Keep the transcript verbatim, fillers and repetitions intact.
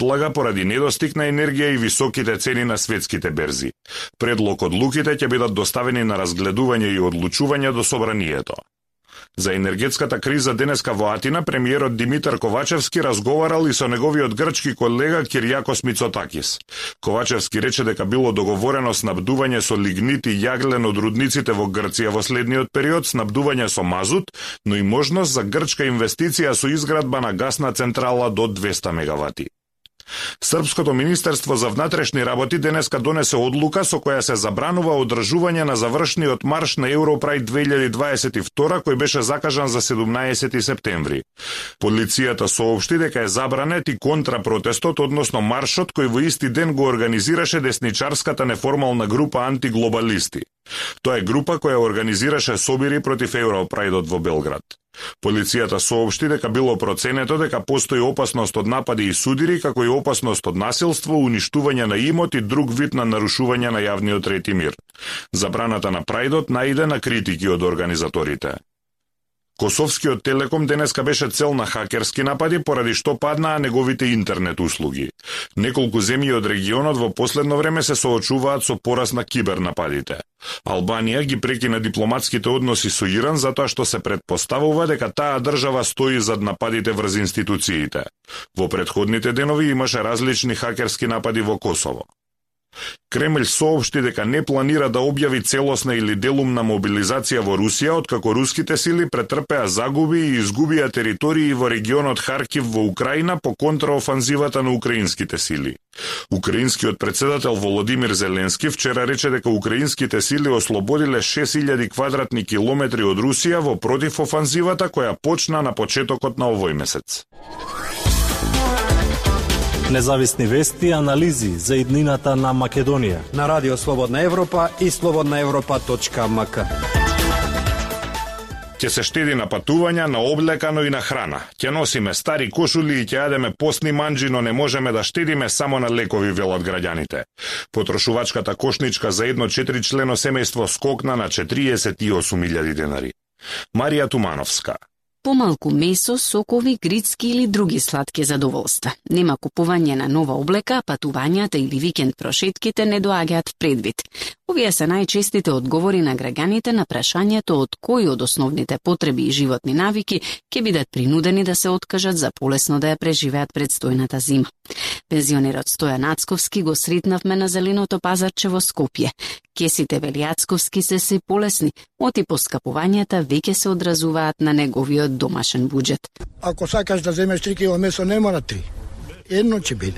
одлага поради недостиг на енергија и високите цени на светските берзи. Предлог одлуките ќе бидат доставени на разгледување и одлучување до собранието. За енергетската криза денеска во Атина премиерот Димитар Ковачевски разговарал и со неговиот грчки колега Киријакос Мицотакис. Ковачевски рече дека било договорено снабдување со лигнит и јаглен од рудниците во Грција во следниот период, снабдување со мазут, но и можност за грчка инвестиција со изградба на гасна централа до двесте мегавати. Српското министерство за внатрешни работи денеска донесе одлука со која се забранува одржување на завршниот марш на Европрајд две илјади дваесет и втора кој беше закажан за седумнаесети септември. Полицијата соопшти дека е забранет и контрапротестот, односно маршот кој во исти ден го организираше десничарската неформална група антиглобалисти. Тоа е група која организираше собири против Европрајдот во Белград. Полицијата соопшти дека било проценето дека постои опасност од напади и судири, како и опасност од насилство, уништување на имот и друг вид на нарушување на јавниот ред и мир. Забраната на прајдот наиде на критики од организаторите. Косовскиот Телеком денеска беше цел на хакерски напади, поради што паднаа неговите интернет услуги. Неколку земји од регионот во последно време се соочуваат со пораст на кибернападите. Албанија ги прекина дипломатските односи со Иран затоа што се претпоставува дека таа држава стои зад нападите врз институциите. Во претходните денови имаше различни хакерски напади во Косово. Кремљ соопшти дека не планира да објави целосна или делумна мобилизација во Русија, откако руските сили претрпеа загуби и изгубија територии во регионот Харкив во Украина по контраофанзивата на украинските сили. Украинскиот председател Володимир Зеленски вчера рече дека украинските сили ослободиле шест илјади квадратни километри од Русија во противофанзивата која почна на почетокот на овој месец. Независни вести и анализи за иднината на Македонија на Радио Слободна Европа и слободна европа точка ем ка. Ќе се штеди на патувања, на облека, но и на храна. Ќе носиме стари кошули и ќе јадеме постни манџи, но не можеме да штедиме само на лекови, велат граѓаните. Потрошувачката кошничка за едно четиричлено семејство скокна на четириесет и осум илјади денари. Марија Тумановска. Помалку месо, сокови, грицки или други сладки задоволства. Нема купување на нова облека, патувањата или викенд прошетките не доаѓаат предвид. Овие се најчестите одговори на граѓаните на прашањето од кои од основните потреби и животни навики ќе бидат принудени да се откажат за полесно да ја преживеат предстојната зима. Пензионерот Стојан Ацковски го сретнавме на зеленото пазарче во Скопје. Кесите, вели Ацковски, се се полесни, оти поскапувањата веќе се одразуваат на неговиот домашен буџет. Ако сакаш да земеш три кило месо, не мора три. Едно ќе биде.